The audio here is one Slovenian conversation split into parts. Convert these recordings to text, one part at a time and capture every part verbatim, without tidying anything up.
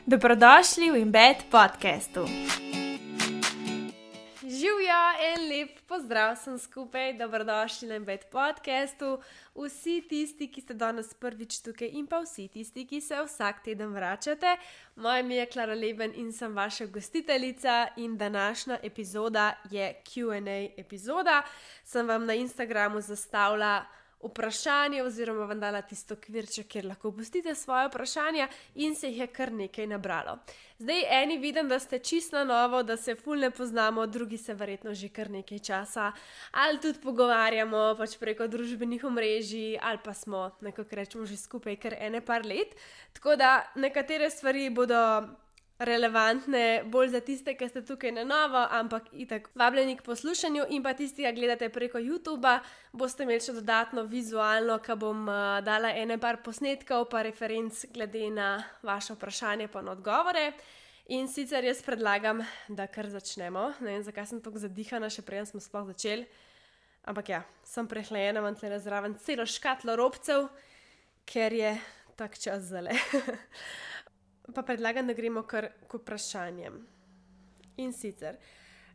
Dobrodošli v Embed podcastu. Živjo in lep pozdrav sem skupaj, dobrodošli na Embed podcastu. Vsi tisti, ki ste danes prvič tukaj in pa vsi tisti, ki se vsak teden vračate. Moje ime je Klara Leben in sem vaša gostiteljica in današnja epizoda je Q and A epizoda. Sem vam na Instagramu zastavila vprašanje oziroma vam dala tisto kvirček, kjer lahko pustite svoje vprašanja in se jih je kar nekaj nabralo. Zdaj eni vidim, da ste čisto na novo, da se ful ne poznamo, drugi se verjetno že kar nekaj časa ali tudi pogovarjamo pač preko družbenih omrežij ali pa smo, nekako rečemo, že skupaj kar ene par let. Tako da nekatere stvari bodo relevantne bolj za tiste, ki ste tukaj na novo, ampak itak vabljeni k poslušanju in pa tisti, ki gledate preko YouTubea, boste imeli še dodatno vizualno, ko bom uh, dala ene par posnetkov pa referenc glede na vaše vprašanje pa na odgovore. In sicer jaz predlagam, da kar začnemo. Ne vem, zakaj sem tako zadihana, še preden smo sploh začeli. Ampak ja, sem prehlajena, imam tle zraven celo škatlo robcev, ker je tak čas zale. Pa predlagam, da gremo kar k vprašanjem. In sicer,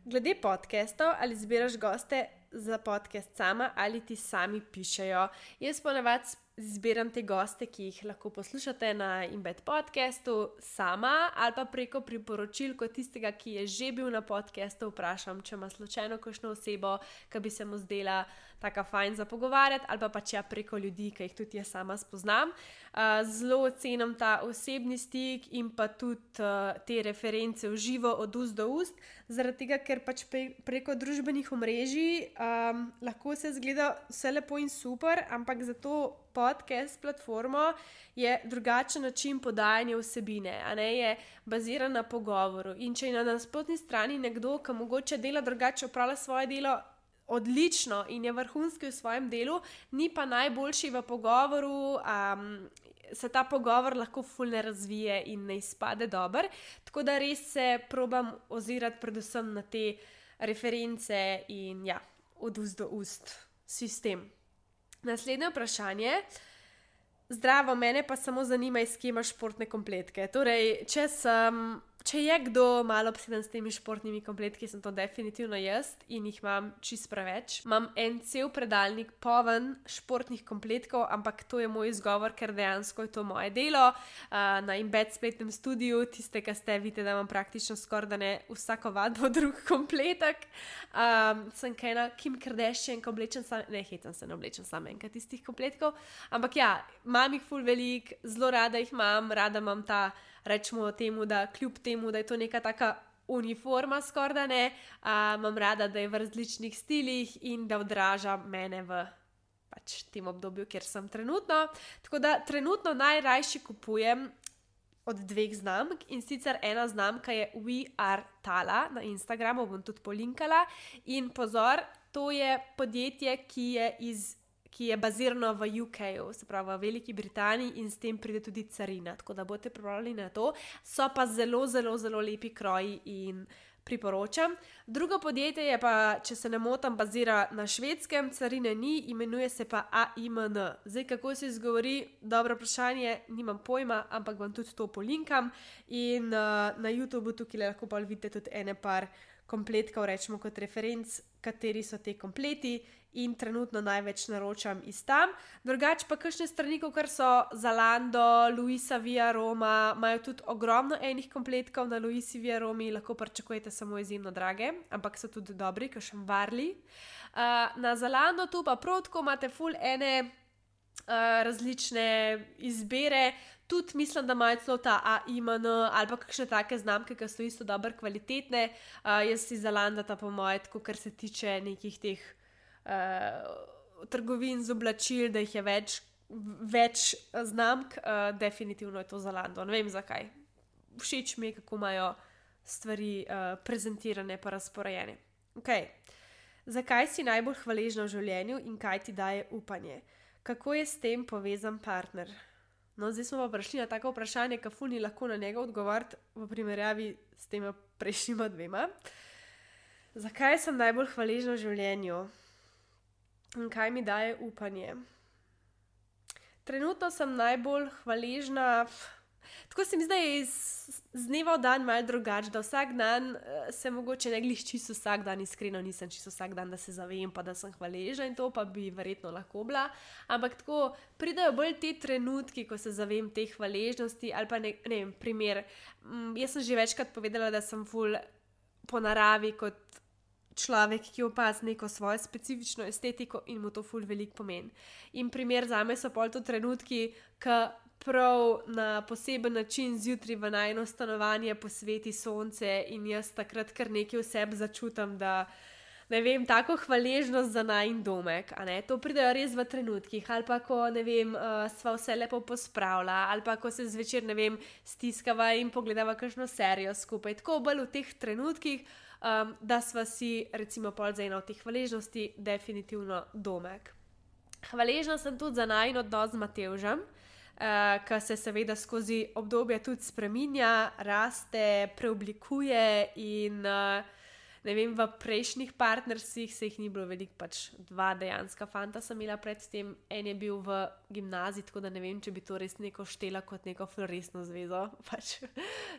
glede podcastov, ali zbiraš goste za podcast sama ali ti sami pišejo. Jaz ponavadi zbiram te goste, ki jih lahko poslušate na Embed podcastu sama ali pa preko priporočil kot tistega, ki je že bil na podcastu, vprašam, če ima slučajno kakšno osebo, ki bi se mu zdela taka fajn za pogovarjati, ali pa pač ja preko ljudi, ki jih tudi jaz sama spoznam. Uh, zelo ocenim ta osebni stik in pa tudi uh, te reference v živo od ust do ust, zaradi tega, ker pač pre, preko družbenih omrežij um, lahko se zgleda vse lepo in super, ampak zato podcast platformo je drugačen način podajanja vsebine, a ne, je baziran na pogovoru. In če je na nasprotni strani nekdo, ki mogoče dela drugače, opravlja svoje delo odlično in je vrhunski v svojem delu, ni pa najboljši v pogovoru, um, se ta pogovor lahko ful ne razvije in ne izpade dober. Tako da res se probam ozirati predvsem na te reference in ja, od ust do ust sistem. Naslednje vprašanje. Zdravo, mene pa samo zanima, iz kje imaš športne kompletke. Torej, če sem... Če je kdo malo obseden s temi športnimi kompletki, sem to definitivno jaz in jih imam čist preveč. Imam en cel predalnik poln športnih kompletkov, ampak to je moj izgovor, ker dejansko je to moje delo. Uh, na Embed spletnem studiu, tiste, ki ste, vidite, da imam praktično skoraj da ne vsako vadbo drug kompletek. Um, sem kaj na Kim Kardashian, ko oblečem sam, ne, hetam se ne oblečem sam enkrat tistih kompletkov, ampak ja, imam jih ful velik, zelo rada jih imam, rada imam ta, rečemo temu, da kljub temu, da je to neka taka uniforma skoraj da ne, uh, imam rada, da je v različnih stilih in da odraža mene v pač tem obdobju, kjer sem trenutno. Tako da trenutno najrajši kupujem od dveh znamk in sicer ena znamka je We Are Tala, na Instagramu bom tudi polinkala in pozor, to je podjetje, ki je iz ki je bazirano v U K-u, se pravi v Veliki Britaniji in s tem pride tudi carina, tako da boste pripravljeni na to. So pa zelo, zelo, zelo lepi kroji in priporočam. Drugo podjetje je pa, če se ne motam, bazira na Švedskem, carine ni, imenuje se pa A I M N. Zdaj, kako se izgovori, dobro vprašanje, nimam pojma, ampak vam tudi to polinkam in uh, na YouTubeu tukaj lahko pa vidite tudi ene par kompletkov, rečemo kot referenc, kateri so te kompleti in trenutno največ naročam iz tam. Drugače pa kakšne strani, kar so Zalando, Luisa Via Roma, imajo tudi ogromno enih kompletkov na Luisi Via Romi, lahko pričakujete samo izjemno drage, ampak so tudi dobri, kakšen Varli. Uh, na Zalando tu pa prav tako imate ful ene uh, različne izbere, tudi mislim, da imajo celo ta A I M N ali pa kakšne take znamke, ki so isto dobro kvalitetne. Uh, jaz si Zalanda ta po moje, tako kar se tiče nekih teh uh, trgovin z oblačil, da jih je več, več znamk, uh, definitivno je to Zalando. Ne vem zakaj. Všeč mi je, kako imajo stvari uh, prezentirane pa razporejene. Okay. Zakaj si najbolj hvaležna v življenju in kaj ti daje upanje? Kako je s tem povezan partner? No, zdaj smo pa prišli na tako vprašanje, ka ful ni lahko na njega odgovoriti v primerjavi s tema prejšnjima dvema. Zakaj sem najbolj hvaležna v življenju? In kaj mi daje upanje? Trenutno sem najbolj hvaležna tako se mi zdi, da je iz, z dneva v dan malo drugače, da vsak dan uh, se mogoče ne glih čisto vsak dan, iskreno nisem čisto vsak dan, da se zavem, pa da sem hvaležna in to pa bi verjetno lahko bila, ampak tako pridejo bolj te trenutki, ko se zavem te hvaležnosti ali pa ne, ne vem, primer, um, jaz sem že večkrat povedala, da sem ful po naravi kot človek, ki opazi neko svojo specifično estetiko in mu to ful veliko pomeni. In primer zame so pol to trenutki, ko prav na poseben način zjutraj v najno stanovanje posveti sonce in jaz takrat kar nekaj v sebi začutam, da ne vem, tako hvaležnost za najin domek, a ne, to pridejo res v trenutkih, ali pa ko, ne vem, uh, sva vse lepo pospravila, ali pa ko se zvečer, ne vem, stiskava in pogledava kakšno serijo skupaj, tako bolj v teh trenutkih, um, da sva si, recimo, pol za eno od teh hvaležnosti definitivno domek. Hvaležna sem tudi za najin odnos z Matevžem, uh, ki se seveda skozi obdobje tudi spreminja, raste, preoblikuje in uh, ne vem, v prejšnjih partnerstvih se jih ni bilo veliko, pač dva dejanska fanta sem imela predtem, en je bil v gimnaziji, tako da ne vem, če bi to res neko štela kot neko floresno zvezo, pač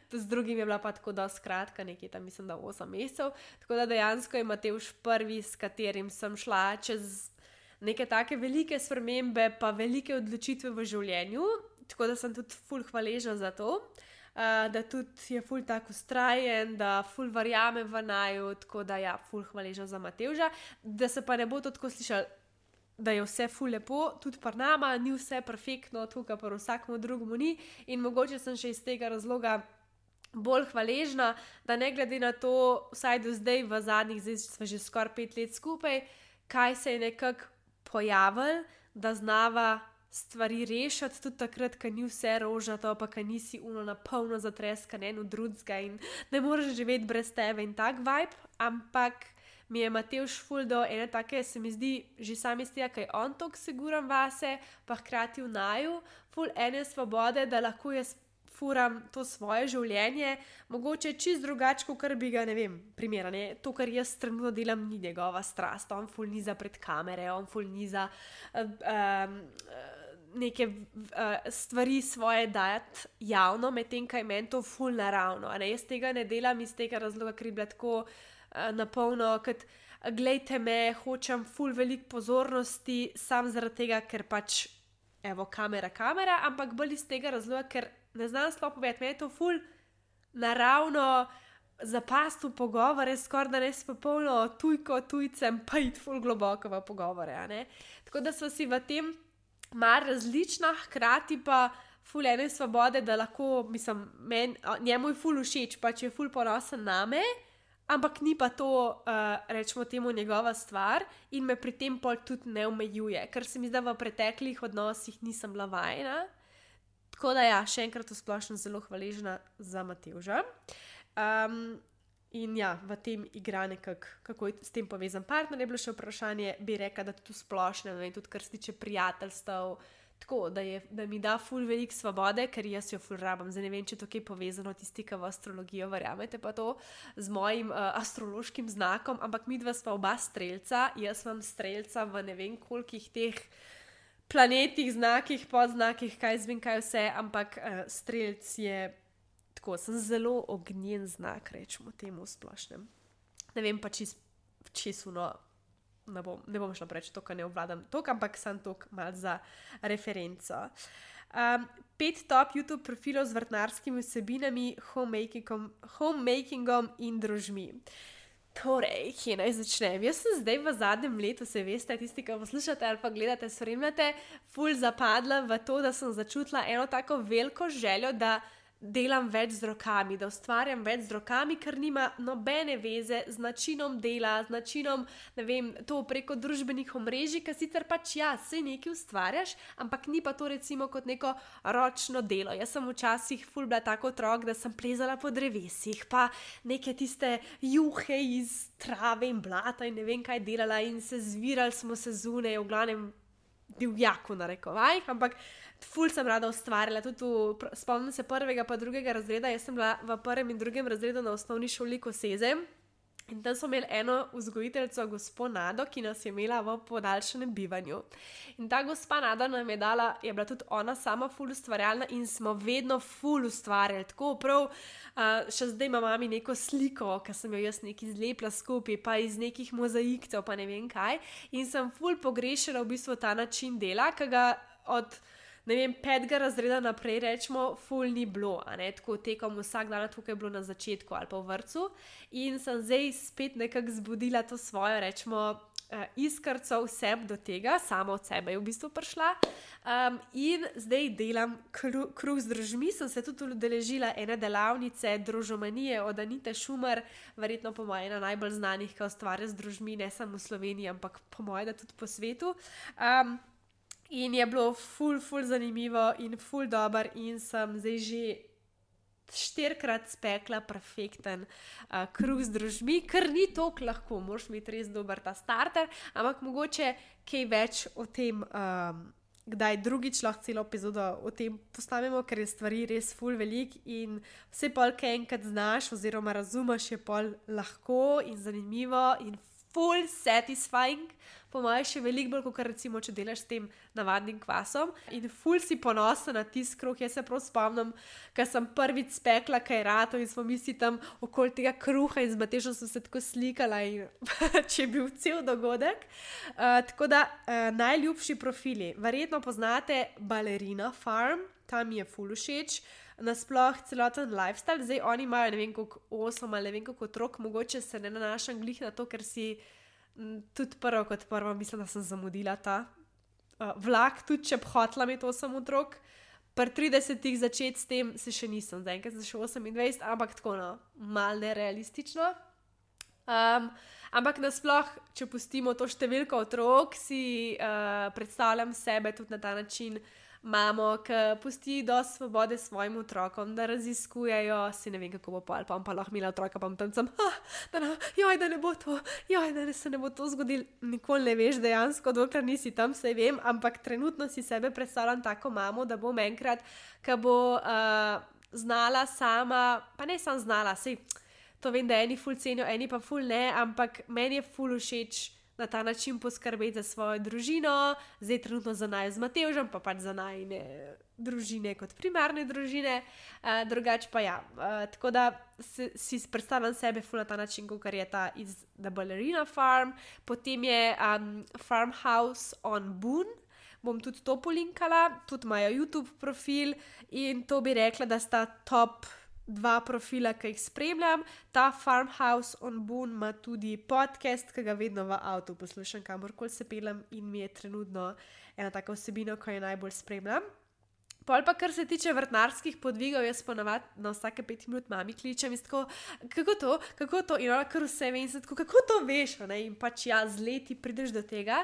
to z drugim je bila pa tako dosti kratka, nekaj tam mislim, da osem mesecev, tako da dejansko je Matevž prvi, s katerim sem šla čez neke take velike spremembe, pa velike odločitve v življenju, tako da sem tudi ful hvaležna za to. Uh, da tudi je ful tako ustrajen, da ful verjame v naju, tako da ja, ful hvaležna za Matevža, da se pa ne bo to tako slišali, da je vse ful lepo, tudi pri nama ni vse perfektno, tukaj pa vsakmu drugemu ni in mogoče sem še iz tega razloga bolj hvaležna, da ne glede na to, vsaj do zdaj v zadnjih, zdaj smo že skoraj pet let skupaj, kaj se je nekako pojavil, da znava stvari rešiti tudi takrat, ko ni vse rožnato, pa ko nisi uno na polno zatreskan en od drugega in ne moreš živeti brez tebe in tak vibe, ampak mi je Matevž ful do ene take, se mi zdi, že sam iz tega, kaj on toliko siguran vase, pa hkrati v naju, ful ene svobode, da lahko jaz furam to svoje življenje, mogoče čist drugače, kot bi ga, ne vem, primera, ne, to, kar jaz trenutno delam, ni njegova strast, on ful niza pred kamere, on ful niza uh, um, neke uh, stvari svoje dajati javno, medtem kaj meni to ful naravno, a ne, jaz tega ne delam iz tega razloga, ker je bila tako uh, napolno, kot glejte me, hočem ful veliko pozornosti, sam zaradi tega, ker pač, evo, kamera, kamera, ampak bolj iz tega razloga, ker ne znam sploh povedati, meni je to ful naravno zapasti v pogovore, skoraj da ne s popolno tujko, tujcem, pa iti ful globoko v pogovore, a ne. Tako da so si v tem mar različna, hkrati pa ful ene svobode, da lahko, mislim, men, njemu je ful všeč, pač je ful ponosen name, ampak ni pa to, uh, rečemo temu, njegova stvar in me pri tem pol tudi ne omejuje, ker se mi zdi, da v preteklih odnosih nisem bila vajena. Tako da ja, še enkrat v splošno zelo hvaležna za Matevža. Um, in ja, v tem igra nekako, kako je s tem povezan partner, je bilo še vprašanje, bi rekla, da tudi v splošno, ne, tudi kar se tiče prijateljstev, tako, da, je, da mi da ful veliko svobode, ker jaz jo ful rabam. Zdaj ne vem, če to kaj povezano tisti, ki v astrologijo verjamete pa to, z mojim uh, astrološkim znakom, ampak midva sva oba strelca, jaz imam strelca v ne vem kolikih teh planetih, znakih, podznakih, kaj zvem, kaj vse, ampak uh, strelc je tako, sem zelo ognjen znak, rečemo temu v splošnem. Ne vem pa čist, čisto, ne bom, ne bom šla preč to, kar ne obvladam tok, ampak sem tok mal za referenco. Um, pet top YouTube profilov z vrtnarskimi vsebinami, homemakingom, homemakingom in družmi. Torej, kje naj začnem? Jaz sem zdaj v zadnjem letu, se veste, tisti, ki poslušate ali pa gledate, spremljate, ful zapadla v to, da sem začutila eno tako veliko željo, da delam več z rokami, da ustvarjam več z rokami, ker nima nobene veze z načinom dela, z načinom, ne vem, to preko družbenih omrežij, ker sicer pač ja, sej nekaj ustvarjaš, ampak ni pa to recimo kot neko ročno delo. Jaz sem včasih ful bila tako otrok, da sem plezala po drevesih, pa neke tiste juhe iz trave in blata in ne vem kaj delala in se zvirali smo se zunaj, v glavnem divjaku narekovajih, ampak ful sem rada ustvarjala, tudi v, spomnim se prvega pa drugega razreda, jaz sem bila v prvem in drugem razredu na osnovni šoli Koseze In tam smo imeli eno vzgojiteljico, gospo Nado, ki nas je imela v podaljšanem bivanju. In ta gospa Nada nam je dala, je bila tudi ona sama ful ustvarjalna in smo vedno ful ustvarjali. Tako prav, uh, še zdaj ima mami neko sliko, ki sem jo jaz nekaj zlepila skupaj, pa iz nekih mozaikcev, pa ne vem kaj. In sem ful pogrešala v bistvu ta način dela, ki ga od ne vem, petega razreda naprej rečemo, ful ni bilo, a ne, tako tekom vsak dan, tukaj je bilo na začetku ali pa v vrtcu. In sem zdaj spet nekako zbudila to svojo, rečemo, iskrco vsem do tega, sama od sebe je v bistvu prišla. Um, in zdaj delam kru, kruh z drožmi, sem se tudi udeležila ene delavnice družomanije od Anite Šumer, verjetno po moje ena najbolj znanih, ki ustvarja z drožmi, ne samo v Sloveniji, ampak po moje, da tudi po svetu. Um, In je bilo ful, ful zanimivo in ful dober in sem zdaj že štirikrat spekla perfekten uh, kruh z drožmi, ker ni toliko lahko, moraš imeti res dober ta starter, ampak mogoče kaj več o tem, um, kdaj drugič lahko celo epizodo o tem postavimo, ker je stvari res ful velik in vse pol, kaj enkrat znaš oziroma razumeš, je pol lahko in zanimivo in full satisfying, po mojem še veliko bolj, kot recimo, če delaš s tem navadnim kvasom in full si ponosen na tisti kruh. Jaz se prav spomnim, ker sem prvič spekla kaj rato in smo misli tam okoli tega kruha in z Matežom sem se tako slikala in če je bil cel dogodek. Uh, tako da uh, najljubši profili, verjetno poznate Ballerina Farm, tam mi je full všeč. Nasploh celoten lifestyle, zdaj oni imajo ne vem koliko osem ali ne vem koliko otrok, mogoče se ne nanašam glih na to, ker si m, tudi prvo kot prvo mislim, da sem zamudila ta uh, vlak, tudi če bi hotela imeti osem otrok, pri tridesetih začeti s tem se še nisem, zdaj enkrat sem še osemindvajset, ampak tako no, mal nerealistično. Um, ampak nasploh, če pustimo to številko otrok, si uh, predstavljam sebe tudi na ta način, mamo, ki pusti dosti svobode svojim otrokom, da raziskujejo, si ne vem, kako bo pa, ali pa, pa lahko imela otroka, pa tam sem, ah, da, ne, joj, da ne bo to, joj, da ne, se ne bo to zgodilo, nikoli ne veš dejansko, dokler nisi tam, saj vem, ampak trenutno si sebe predstavljam tako mamo, da bom enkrat, ki bo uh, znala sama, pa ne sam znala, sej, to vem, da eni ful cenijo, eni pa ful ne, ampak meni je ful všeč na ta način poskrbeti za svojo družino, zdaj trenutno za naj z Matevžem, pa pač za najne družine kot primarne družine, uh, drugače pa ja. Uh, tako da si, si predstavljam sebe ful na ta način, kot je ta iz The Ballerina Farm, potem je um, Farmhouse on Boone, bom tudi to polinkala, tudi imajo YouTube profil in to bi rekla, da sta top dva profila, ki jih spremljam. Ta Farmhouse on Boone ima tudi podcast, ki ga vedno v avtu poslušam, kamorkoli se pelem in mi je trenutno ena taka vsebina, ko jo najbolj spremljam. Pol pa, kar se tiče vrtnarskih podvigov, jaz ponavadi na vsake pet minut mami kličem in tako, kako to, kako to, in ona kar vse ve in se tako, kako to veš, ne? In pač ja, z leti prideš do tega.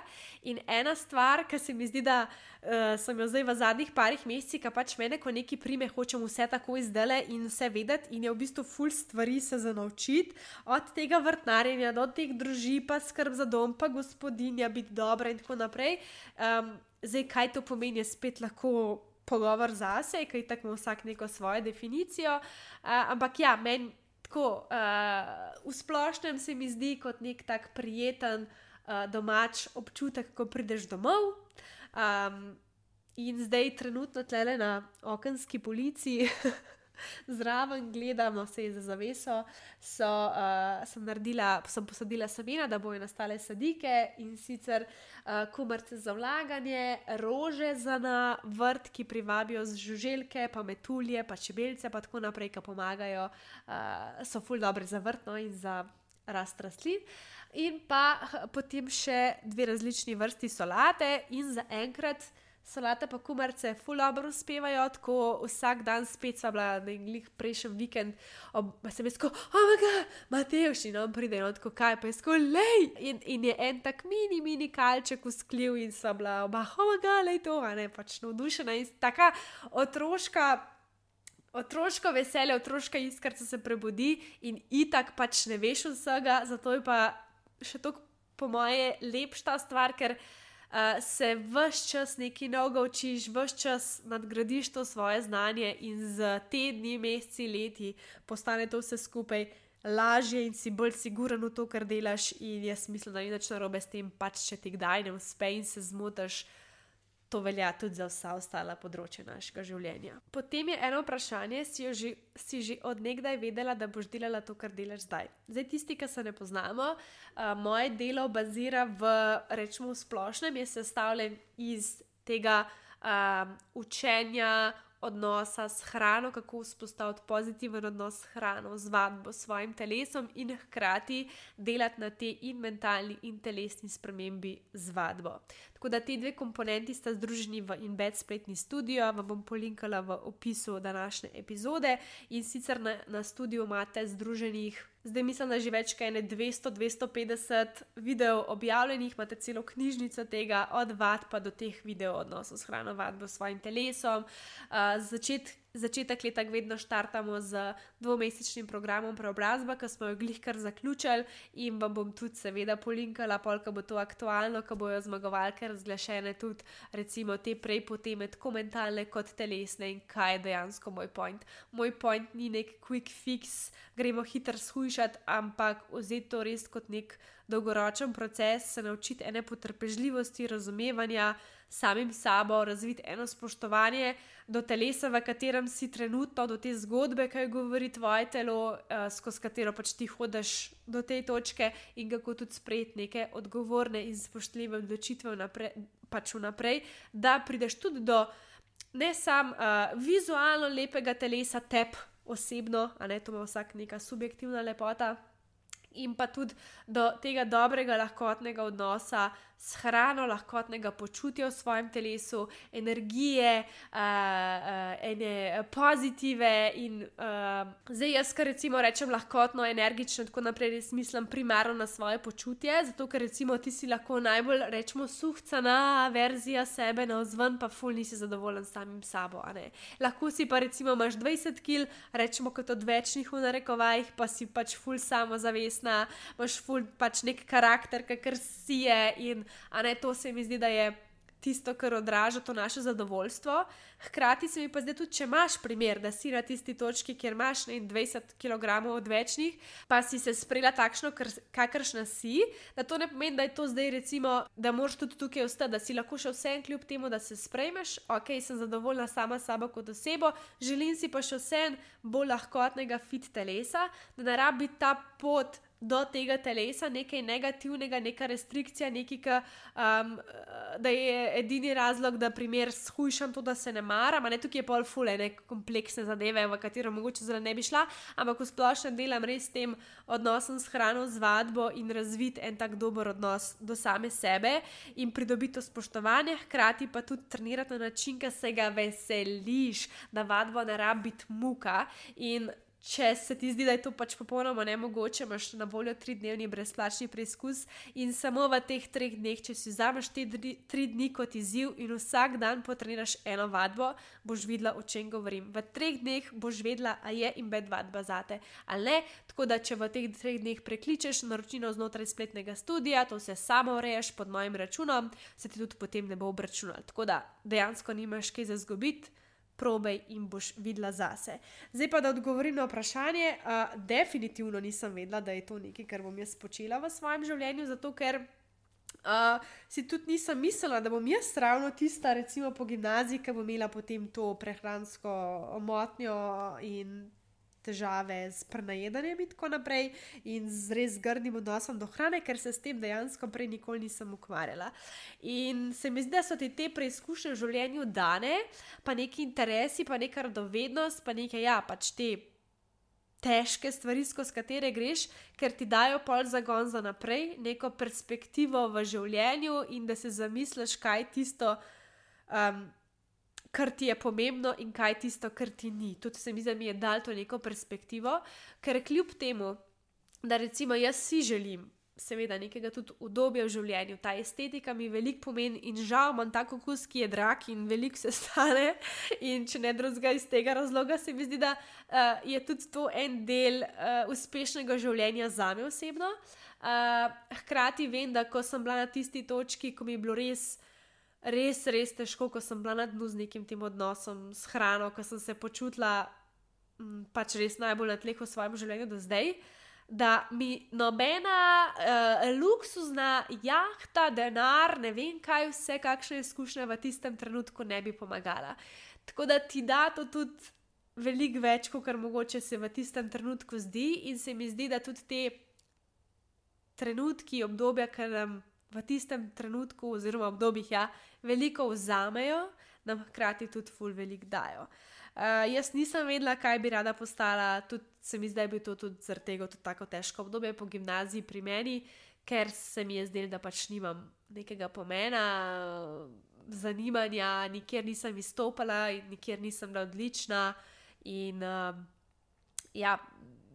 In ena stvar, ki se mi zdi, da uh, sem jo zdaj v zadnjih parih mesecih, ki pač mene, ko neki prime, hočem vse tako izdele in vse vedeti in je v bistvu ful stvari se za naučiti, od tega vrtnarjenja do teh druži, pa skrb za dom, pa gospodinja, biti dobra in tako naprej. Um, zdaj, kaj to pomeni, je spet lahko pogovor zase, kaj tako ima vsak neko svojo definicijo, uh, ampak ja, meni tako uh, v splošnem se mi zdi kot nek tak prijeten uh, domač občutek, ko prideš domov. Um, in zdaj trenutno tlele na okenski polici zraven gledam, no, vse je za zaveso, so, uh, sem naredila, sem posadila semena, da bojo nastale sadike in sicer uh, kumarice za vlaganje, rože za na vrt, ki privabijo z žuželke, pa metulje, pa čebelce, pa tako naprej, ki pomagajo, uh, so ful dobre za vrt, no, in za rast rastlin. In pa potem še dve različni vrsti solate in za enkrat solate pa kumarice ful dobro uspevajo, tako vsak dan spet sva bila na glih prejšnji vikend, ob, sem jaz tako, oh my god, Matevž, in on pride, in on tako, kaj, pa je tako, lej, in, in je en tak mini, mini kalček usklil in sva bila oba, oh my god, lej to, a ne, pač navdušena in taka otroška, otroško veselje, otroška iskrca se prebudi in itak pač ne veš vsega, zato je pa še toliko po moje lepša stvar, ker Uh, se ves čas nekaj novega učiš, ves čas nadgradiš to svoje znanje in z tedni, meseci, leti postane to vse skupaj lažje in si bolj siguren v to, kar delaš, in jaz mislim, da ni nič narobe s tem, pač če ti kdaj ne uspe in se zmotiš. To velja tudi za vsa ostala področja našega življenja. Potem je eno vprašanje, si, jo že, si že od nekdaj vedela, da boš delala to, kar delaš zdaj. Zdaj tisti, ki se ne poznamo, uh, moje delo bazira v, rečemo v splošnem, je sestavljen iz tega uh, učenja, odnosa s hrano, kako vzpostaviti pozitiven odnos s hrano, z vadbo, s svojim telesom in hkrati delati na te in mentalni in telesni spremembi z vadbo. Tako da te dve komponenti sta združeni v InBed spletni studio, vam bom polinkala v opisu današnje epizode in sicer na, na studiu imate združenih, zdaj mislim, da že več kaj ne dvesto do dvesto petdeset videov objavljenih, imate celo knjižnico tega, od vadb pa do teh videov odnosov s hrano, vadbo, s svojim telesom. Uh, začet, začetek leta vedno štartamo z dvomesečnim programom preobrazba, ki smo jo glih kar zaključili in vam bom tudi seveda polinkala, pol, ko bo to aktualno, ko bojo zmagovalke razglašene tudi recimo te prej poteme, tako mentalne kot telesne in kaj je dejansko moj point. Moj point ni nek quick fix, gremo hitro shujšati, ampak vzeti to res kot nek dolgoročen proces, se naučiti ene potrpežljivosti, razumevanja samim sabo, razviti eno spoštovanje do telesa, v katerem si trenutno, do te zgodbe, kaj govori tvoje telo, uh, skozi katero pač ti hodiš do te točke in kako tudi sprejeti neke odgovorne in spoštljive odločitve vnaprej, pač vnaprej, da prideš tudi do ne sam uh, vizualno lepega telesa teb osebno, a ne, to ima vsak neka subjektivna lepota, in pa tudi do tega dobrega, lahkotnega odnosa s hrano, lahkotnega počutja v svojem telesu, energije, uh, uh, ene pozitive in uh, zdaj jaz, kar recimo rečem lahkotno, energično, tako naprej, res mislim primarno na svoje počutje, zato ker recimo ti si lahko najbolj, rečemo, suhcana verzija sebe navzven, pa ful nisi zadovoljen s samim sabo, a ne. Lahko si pa recimo imaš dvajset kil, rečemo kot odvečnih v narekovajih, pa si pač ful samozavestna, imaš ful pač nek karakter, kakor si je in a ne, to se mi zdi, da je tisto, kar odraža to naše zadovoljstvo. Hkrati se mi pa zdi tudi, če imaš primer, da si na tisti točki, kjer imaš ne, dvajset kilogramov odvečnih, pa si se sprejela takšno, kakršna si, da to ne pomeni, da je to zdaj recimo, da moraš tudi tukaj ostati, da si lahko še vsem kljub temu, da se sprejmeš, ok, sem zadovoljna sama sabo kot osebo, želim si pa še vsem bolj lahkotnega fit telesa, da ne rabi ta pot do tega telesa nekaj negativnega, neka restrikcija, nekaj, um, da je edini razlog, da primer shujšam to, da se ne maram, a ne, tukaj je pol fule, ne, kompleksne zadeve, v katero mogoče zelo ne bi šla, ampak v splošnem delam res s tem odnosom s hrano, z vadbo in razviti en tak dober odnos do same sebe in pridobiti to spoštovanje, hkrati pa tudi trenirati na način, ki se ga veseliš, da vadbo ne rabi biti muka in če se ti zdi, da je to pač popolnoma nemogoče, imaš na voljo tridnevni brezplačni preizkus in samo v teh treh dneh, če si vzameš te dri, tri dni kot izziv in vsak dan potreniraš eno vadbo, boš videla, o čem govorim. V treh dneh boš vedela, a je InBed vadba zate ali ne, tako da če v teh treh dneh prekličeš naročino znotraj spletnega studija, to se samo ureješ pod mojim računom, se ti tudi potem ne bo obračunalo. Tako da dejansko nimaš kaj za izgubiti, probej in boš videla zase. Zdaj pa, da odgovorim na vprašanje, uh, definitivno nisem vedela, da je to nekaj, kar bom jaz počela v svojem življenju, zato ker uh, si tudi nisem mislila, da bom jaz ravno tista, recimo po gimnaziji, ki bom imela potem to prehransko motnjo in težave s prenajedanjem in tako naprej in z res grdim odnosom do hrane, ker se s tem dejansko prej nikoli nisem ukvarjala. In se mi zdi, da so ti te preizkušnje v življenju dane, pa neki interesi, pa neka radovednost, pa neke, ja, pač te težke stvari, skozi katere greš, ker ti dajo pol zagon za naprej, neko perspektivo v življenju in da se zamisliš, kaj tisto um, kar ti je pomembno in kaj tisto, kar ti ni. Tudi se mi zdi, da mi je dal to neko perspektivo, ker kljub temu, da recimo jaz si želim seveda nekega tudi udobja v življenju, ta estetika mi veliko pomeni in žal imam tak okus, ki je drag in veliko se stane in če ne drugega iz tega razloga, se mi zdi, da uh, je tudi to en del uh, uspešnega življenja zame osebno. Uh, hkrati vem, da ko sem bila na tisti točki, ko mi je bilo res res, res težko, ko sem bila na dnu z nekim tem odnosom s hrano, ko sem se počutila m, pač res najbolj na tleh v svojem življenju do zdaj. da mi nobena uh, luksuzna jahta, denar, ne vem kaj vse, kakšne izkušnje v tistem trenutku ne bi pomagala. Tako da ti da to tudi veliko več, kot kar mogoče se v tistem trenutku zdi, in se mi zdi, da tudi te trenutki, obdobja, ki nam v tistem trenutku oziroma obdobjih ja, veliko vzamejo, nam hkrati tudi ful veliko dajo. Uh, jaz nisem vedela, kaj bi rada postala, tudi se mi zdaj bi to tudi zaradi tega tudi tako težko obdobje po gimnaziji pri meni, ker se mi je zdelo, da pač nimam nekega pomena, zanimanja, nikjer nisem izstopala in nikjer nisem bila odlična in uh, ja,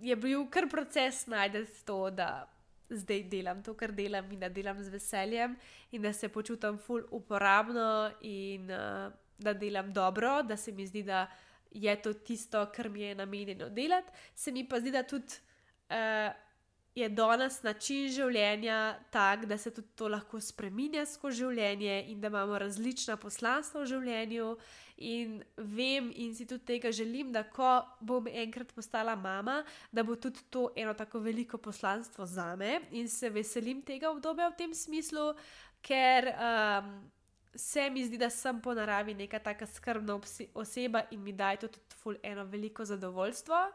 je bil kar proces najdeti to, da zdaj delam to, kar delam in da delam z veseljem in da se počutim ful uporabno in uh, da delam dobro, da se mi zdi, da je to tisto, kar mi je namenjeno delati. Se mi pa zdi, da tudi uh, je danes način življenja tak, da se tudi to lahko spreminja skozi življenje in da imamo različna poslanstva v življenju in vem in si tudi tega želim, da ko bom enkrat postala mama, da bo tudi to eno tako veliko poslanstvo zame in se veselim tega obdobja v tem smislu, ker um, se mi zdi, da sem po naravi neka taka skrbna oseba in mi daje to tudi ful eno veliko zadovoljstvo.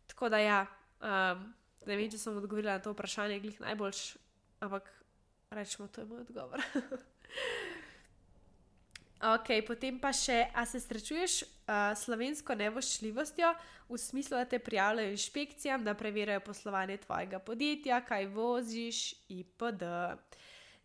Tako da ja, um, ne vem, če sem odgovorila na to vprašanje glih najboljš, ampak rečemo, to je moj odgovor. Ok, potem pa še, a se srečuješ uh, slovensko nevoščljivostjo v smislu, da te prijavljajo inšpekcijam, da preverjajo poslovanje tvojega podjetja, kaj voziš itd.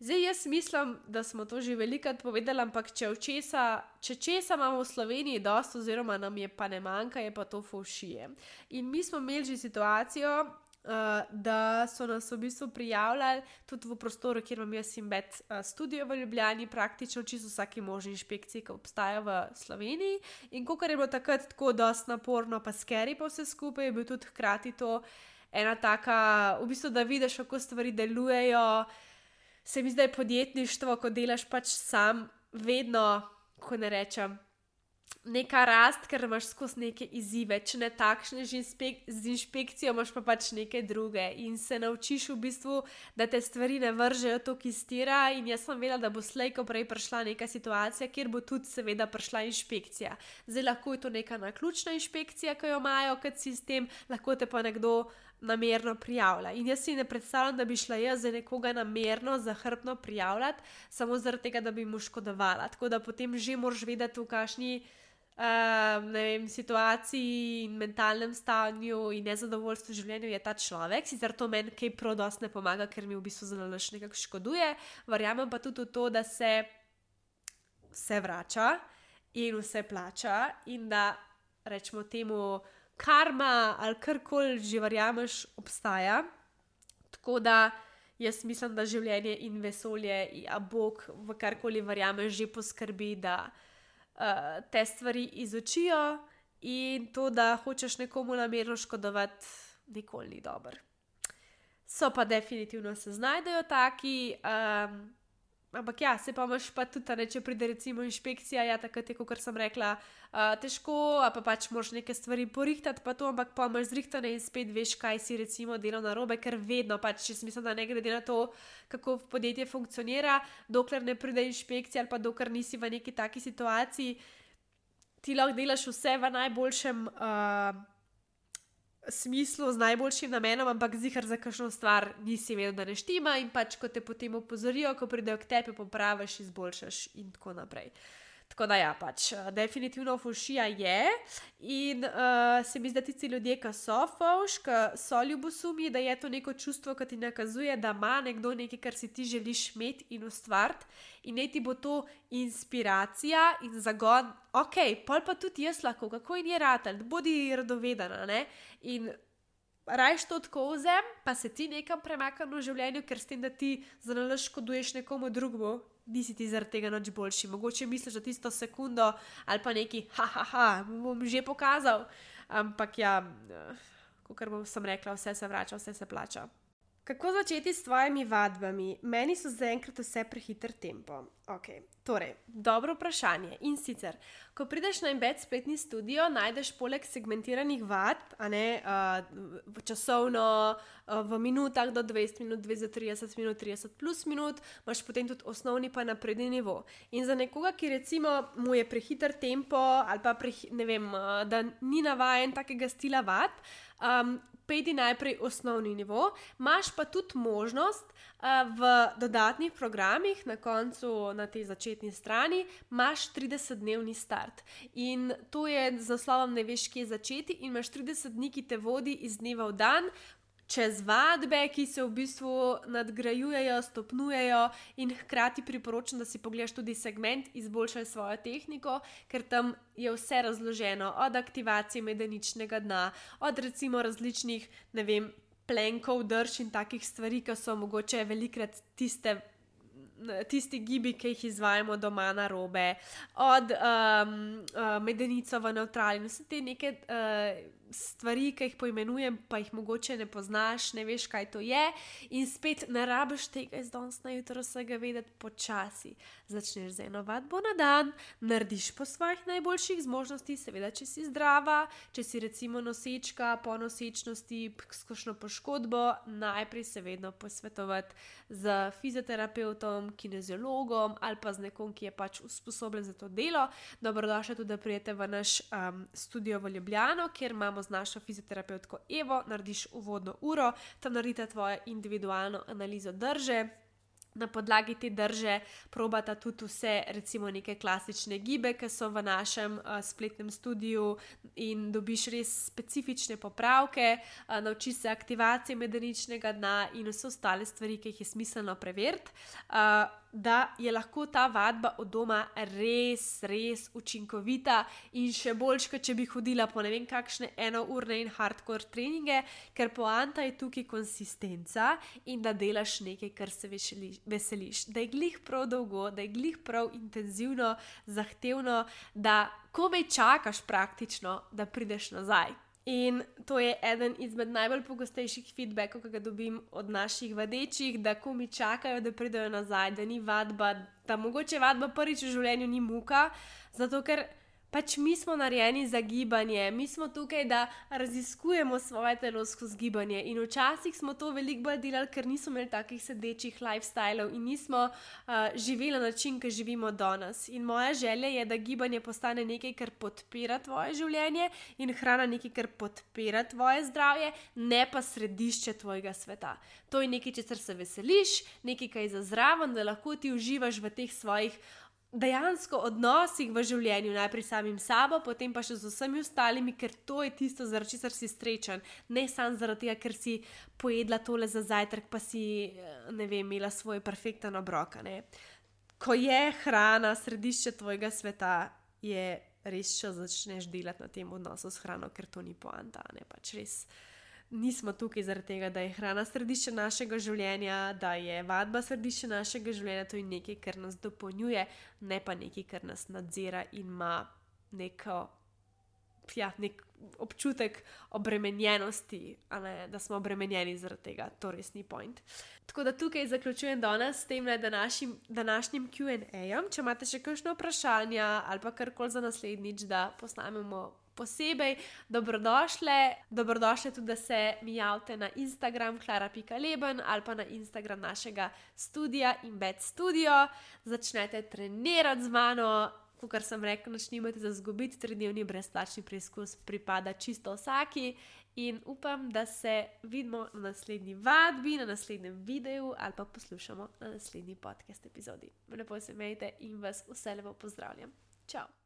Zdaj jaz mislim, da smo to že velikokrat povedali, ampak če, česa, če česa imamo v Sloveniji dosti oziroma nam je pa ne manjka, je pa to fovšije. In mi smo imeli že situacijo, uh, da so nas v bistvu prijavljali tudi v prostoru, kjer imam jaz in bet uh, studio v Ljubljani, praktično čisto vsaki možni inšpekciji, ki obstaja v Sloveniji. In kakor je bilo takrat tako dosti naporno pa scary pa vse skupaj, je bil tudi hkrati to ena taka, v bistvu, da vidiš, kako stvari delujejo. Se mi zdaj podjetništvo, ko delaš pač sam, vedno, ko ne rečem, neka rast, ker imaš skozi neke izzive, če ne takšne z, inspek- z inšpekcijo, imaš pa pač neke druge in se naučiš v bistvu, da te stvari ne vržejo toliko iz tira in jaz sem vedela, da bo slej ko prej prišla neka situacija, kjer bo tudi seveda prišla inšpekcija. Zdaj lahko je to neka naključna inšpekcija, ki jo imajo kot sistem, lahko te pa nekdo namerno prijavlja. In jaz si ne predstavljam, da bi šla jaz za nekoga namerno, zahrbtno prijavljati, samo zaradi tega, da bi mu škodovala. Tako da potem že moraš vedeti, v kakšni uh, ne vem, situaciji in mentalnem stanju in nezadovoljstvu v življenju je ta človek. Sicer to meni kaj prav dosti ne pomaga, ker mi v bistvu zelo nekako škoduje. Verjamem pa tudi v to, da se vse vrača in vse plača in da, rečemo temu, karma ali karkoli že verjameš obstaja, tako da jaz mislim, da življenje in vesolje, a Bog v karkoli verjameš že poskrbi, da uh, te stvari izučijo in to, da hočeš nekomu namerno škodovati, nikoli ni dobro. So pa definitivno se znajdejo taki, um, ampak ja, se pa imaš pa tudi, ne, če pride recimo inšpekcija, ja, takrat je, kot sem rekla, uh, težko, a pa pač moraš neke stvari porihtati, pa to, ampak pa imaš zrihtane in spet veš, kaj si recimo delal narobe, ker vedno pač, če mislim, da ne glede na to, kako podjetje funkcionira, dokler ne pride inšpekcija ali pa dokler nisi v neki taki situaciji, ti lahko delaš vse v najboljšem uh, smislu, z najboljšim namenom, ampak zihar za kakšno stvar nisi vedel, da ne štima in pač, ko te potem opozorijo, ko pridejo k tebi, popraviš, izboljšaš in tako naprej. Tako da ja, pač definitivno fovšija je in uh, se mi zdi, da tisti ljudje, ki so fovš, ki so ljubosumji, da je to neko čustvo, ki ti nakazuje, da ima nekdo nekaj, kar si ti želiš imeti in ustvariti in naj ti bo to inspiracija in zagon, ok, pol pa tudi jaz lahko, kako in je ratelj, bodi radovedana, ne, in rajš to tako vzem, pa se ti nekam premakam v življenju, ker s tem, da ti zanalaš škoduješ nekomu drugemu, nisi ti zaradi tega nič boljši. Mogoče misliš, da tisto sekundo ali pa neki, ha, ha, ha, bom že pokazal, ampak ja, kakor bom sem rekla, vse se vrača, vse se plača. Kako začeti s tvojimi vadbami? Meni so zaenkrat vse prehiter tempo. Ok, torej, dobro vprašanje. In sicer, ko prideš na Embed spletni studio, najdeš poleg segmentiranih vadb, a ne, uh, časovno uh, v minutah do dvajset minut, dvesto trideset minut, trideset plus minut, imaš potem tudi osnovni pa napredni nivo. In za nekoga, ki recimo mu je prehiter tempo ali pa preh, ne vem, uh, da ni navajen takega stila vadb, um, pejdi najprej osnovni nivo, imaš pa tudi možnost uh, v dodatnih programih, na koncu na tej začetni strani, imaš tridesetdnevni start. In to je z naslovom Ne veš, kje začeti in imaš trideset dni, ki te vodi iz dneva v dan, čez vadbe, ki se v bistvu nadgrajujejo, stopnjujejo in hkrati priporočam, da si pogledaš tudi segment Izboljšaj svojo tehniko, ker tam je vse razloženo, od aktivacije medeničnega dna, od recimo različnih, ne vem, plenkov, drž in takih stvari, ki so mogoče velikrat tiste tisti gibi, ki jih izvajamo doma na robe, od um, uh, medenico v nevtrali, vse te neke uh, stvari, ki jih poimenujem, pa jih mogoče ne poznaš, ne veš, kaj to je in spet ne rabiš tega iz danes na jutro vsega vedeti počasi. Začneš z eno vadbo na dan, narediš po svojih najboljših zmožnosti, seveda, če si zdrava, če si recimo nosečka, po nosečnosti, s kakšno poškodbo, najprej se vedno posvetovati z fizioterapevtom, kineziologom ali pa z nekom, ki je pač usposobljen za to delo. Dobrodošli tudi, da prijete v naš um, studio v Ljubljano, kjer imamo z našo fizioterapevtko Evo, narediš uvodno uro, tam naredite tvojo individualno analizo drže. Na podlagi te drže probata tudi vse, recimo neke klasične gibe, ki so v našem uh, spletnem studiu in dobiš res specifične popravke, uh, naučiš se aktivacije medeničnega dna in vse ostale stvari, ki jih je smiselno preveriti, uh, da je lahko ta vadba od doma res, res učinkovita in še boljš, kot če bi hodila po ne vem kakšne enourne in hardcore treninge, ker poanta je tukaj konsistenca in da delaš nekaj, kar se veseliš. veseliš, da je glih prav dolgo, da je glih prav intenzivno, zahtevno, da komaj čakaš praktično, da prideš nazaj. In to je eden izmed najbolj pogostejših feedbackov, ki ga dobim od naših vadečih, da komaj čakajo, da pridejo nazaj, da ni vadba, da mogoče vadba prvič v življenju ni muka, zato ker pač mi smo narejeni za gibanje, mi smo tukaj, da raziskujemo svoje telo skozi gibanje in včasih smo to veliko bolj delali, ker nismo imeli takih sedečih lifestylov in nismo uh, živeli na način, ki živimo danes. In moja želja je, da gibanje postane nekaj, kar podpira tvoje življenje in hrana nekaj, kar podpira tvoje zdravje, ne pa središče tvojega sveta. To je nekaj, česar se veseliš, nekaj, kar je za zraven, da lahko ti uživaš v teh svojih dejansko odnosih v življenju, najprej samim sabo, potem pa še z vsemi ostalimi, ker to je tisto, zaradi česar si srečen. Ne samo zaradi tega, ker si pojedla tole za zajtrk, pa si, ne vem, imela svoj perfekten obrok. Ne? Ko je hrana središče tvojega sveta, je res, če začneš delati na tem odnosu s hrano, ker to ni poanta, ne pač res. Nismo tukaj zaradi tega, da je hrana središče našega življenja, da je vadba središče našega življenja, to je nekaj, kar nas dopolnjuje, ne pa nekaj, kar nas nadzira in ima neko, ja, nek občutek obremenjenosti, a ne, da smo obremenjeni zaradi tega, to res ni point. Tako da tukaj zaključujem danes s tem današnjim, današnjim Q and A-jem. Če imate še kakšno vprašanja ali pa karkoli za naslednjič, da posnamemo posebej, dobrodošle. Dobrodošle tudi, da se mi javite na Instagram klara pika leben ali pa na Instagram našega studia Embed Studio. Začnete trenirati z mano, kakor sem rekla, nič nimate za izgubiti, tridnevni brezplačni preizkus pripada čisto vsaki in upam, da se vidimo na naslednji vadbi, na naslednjem videu ali pa poslušamo na naslednji podcast epizodi. Lepo se imejte in vas vse lepo pozdravljam. Čau!